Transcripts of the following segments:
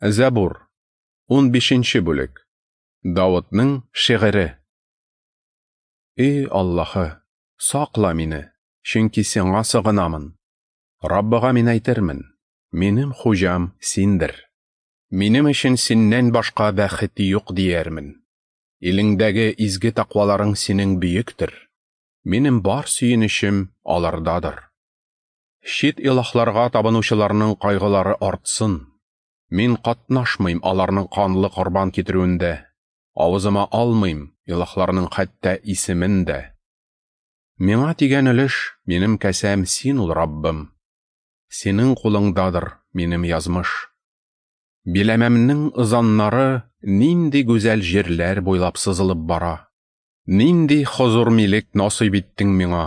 Зәбур, 15 бүлек. Давытның шигыре. Эй Аллаһы, сакла мине, чөнки сиңа сыгынамын. Раббыга мин әйтермен: минем хуҗам синдер. Минем өчен синнән башка бәхет юк диярмен. Илеңдәге изге тәкъваларың синең бөектер. Минем бар сөенечем алардадыр. Чит илаһларга табынучыларның кайгылары артсын. Мин катнашмыйм аларның канлы корбан китерүендә. Авызыма алмыйм илаһларның хәтта исемен дә. Миңа тигән өлеш, минем кәсәм син ул, Раббым. Синең кулыңдадыр минем язмыш. Биләмәмнең ызаннары нинди гүзәл җирләр буйлап сызылып бара. Нинди хозур милек насыйп иттең миңа.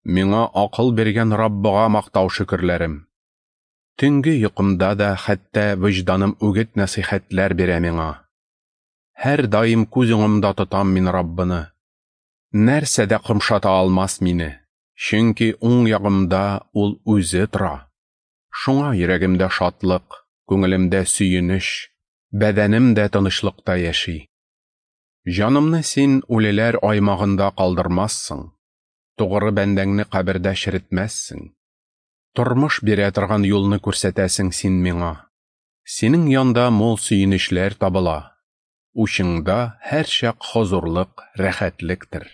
Миңа акыл биргән Раббыга мактау шөкерләрем. Төнге йокымда да хәтта вөҗданым үгет нәсыйхәтләр бирә миңа. Һәр даим күз уңымда тотам мин Раббыны. Нәрсә дә кымшата алмас мине, чөнки уң ягымда ул үзе тора. Шуңа йөрәгемдә шатлык, күңелемдә сөенеч, бәдәнем дә тынычлыкта яши. Җанымны син үлеләр аймагында калдырмассың, тугры бәндәңне кабердә черетмәссең. Тормыш бирә торган юлны күрсәтәсең син миңа. Синең янда мул сөенечләр табыла. Учыңда һәрчак хозурлык, рәхәтлектер.